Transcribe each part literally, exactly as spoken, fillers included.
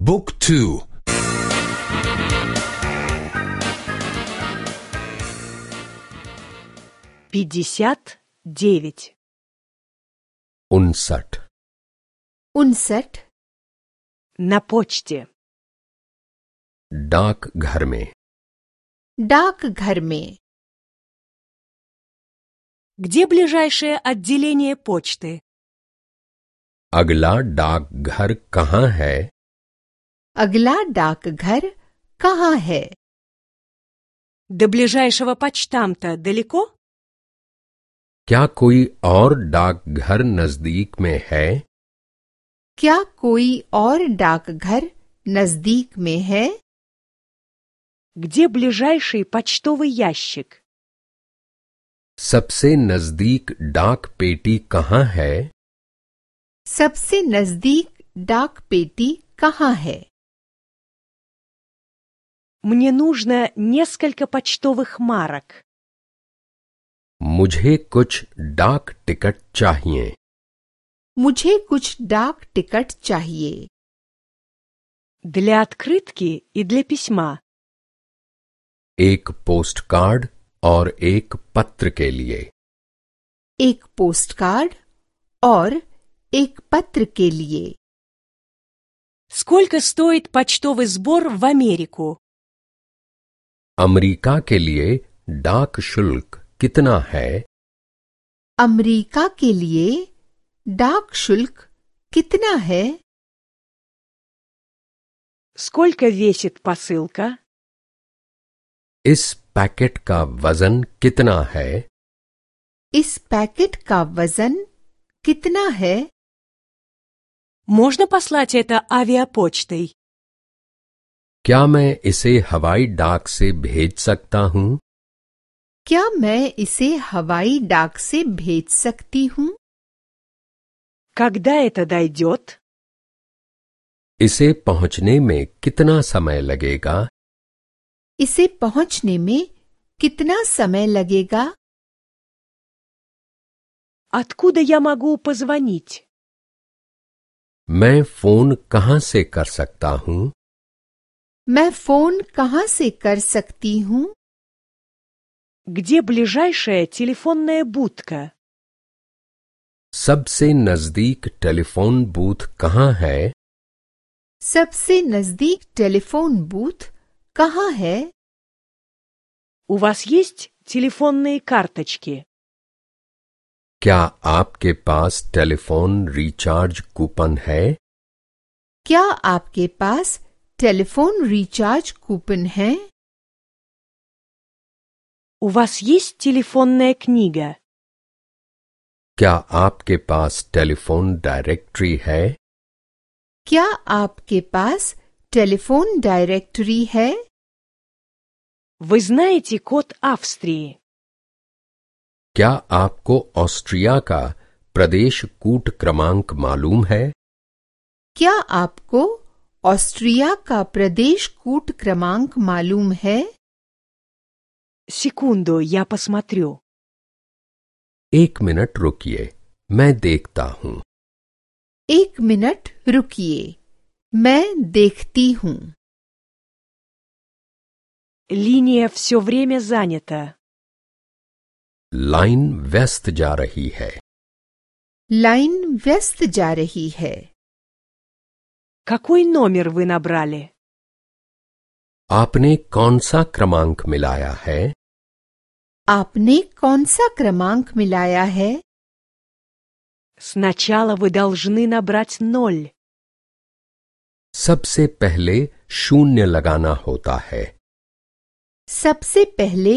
Book two. пятьдесят девять. उनसठ उनसठ На почте. डाक घर में डाक घर में Где ближайшее отделение почты? अगला डाक घर कहाँ है? अगला डाक घर कहाँ है? До ближайшего почтамта далеко? क्या कोई और डाक घर नजदीक में है? क्या कोई और डाक घर नजदीक में है? Где ближайший почтовый ящик? सबसे नजदीक डाक पेटी कहाँ है? सबसे नजदीक डाक पेटी कहाँ है? Мне нужно несколько почтовых марок. मुझे कुछ डाक टिकट चाहिए। मुझे कुछ डाक टिकट चाहिए। Для открытки и для письма. एक पोस्ट कार्ड और एक पत्र के लिए। एक पोस्ट कार्ड और एक पत्र के लिए। Сколько стоит почтовый сбор в Америку? अमेरिका के लिए डाक शुल्क कितना है? अमेरिका के लिए डाक शुल्क कितना है? Сколько весит посылка? इस पैकेट का वजन कितना है? इस पैकेट का वजन कितना है? Можно послать это авиапочтой? क्या मैं इसे हवाई डाक से भेज सकता हूँ? क्या मैं इसे हवाई डाक से भेज सकती हूँ? Когда это дойдет? इसे पहुँचने में कितना समय लगेगा? इसे पहुंचने में कितना समय लगेगा? Откуда я могу позвонить? मैं फोन कहाँ से कर सकता हूँ? मैं फोन कहाँ से कर सकती हूँ? Где ближайшая телефонная будка? सबसे नजदीक टेलीफोन बूथ कहाँ है? सबसे नजदीक टेलीफोन बूथ कहाँ है? У вас есть телефонные карточки? क्या आपके पास टेलीफोन रिचार्ज कूपन है? क्या आपके पास टेलीफोन रिचार्ज कूपन है? У вас есть телефонная книга? क्या आपके पास टेलीफोन डायरेक्टरी है? क्या आपके पास टेलीफोन डायरेक्टरी है? Вы знаете код Австрии? क्या आपको ऑस्ट्रिया का प्रदेश कूट क्रमांक मालूम है? क्या आपको ऑस्ट्रिया का प्रदेश कूट क्रमांक मालूम है? Секунду, я посмотрю. एक मिनट रुकिए, मैं देखता हूँ। एक मिनट रुकिए, मैं देखती हूँ। Линия все время занята. लाइन व्यस्त जा रही है। लाइन व्यस्त जा रही है। Какой номер вы набрали? आपने कौन सा क्रमांक मिलाया है? आपने कौन सा क्रमांक मिलाया है? Сначала вы должны नабрать नоль. सबसे पहले शून्य लगाना होता है। सबसे पहले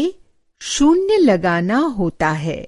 शून्य लगाना होता है।